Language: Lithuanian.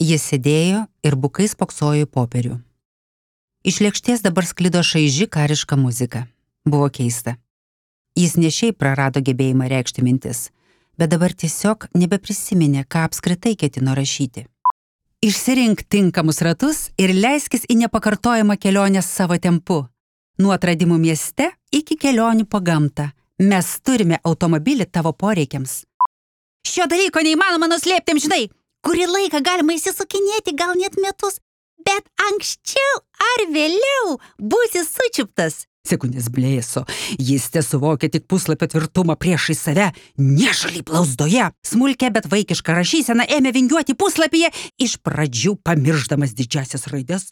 Jis sėdėjo ir bukai spoksojo į popierių. Iš lėkštės dabar sklido šaiži kariška muzika. Buvo keista. Jis ne šiaip prarado gebėjimą reikšti mintis, bet dabar tiesiog nebeprisiminė, ką apskritai ketino rašyti. Išsirink tinkamus ratus ir leiskis į nepakartojamą kelionę savo tempu. Nuo atradimų mieste iki kelionių po gamtą. Mes turime automobilį tavo poreikiams. Šio dalyko neįmanoma nuslėpti amžinai. Kurį laiką galima įsisukinėti, gal net metus, bet anksčiau ar vėliau būsi sučiuptas. Sekundės blėso. Jis tesuvokia tik puslapio tvirtumą priešai save, nešaliai blauzdoje. Smulkia, bet vaikiška rašysena ėmė vingiuoti puslapyje, iš pradžių pamiršdamas didžiasias raides,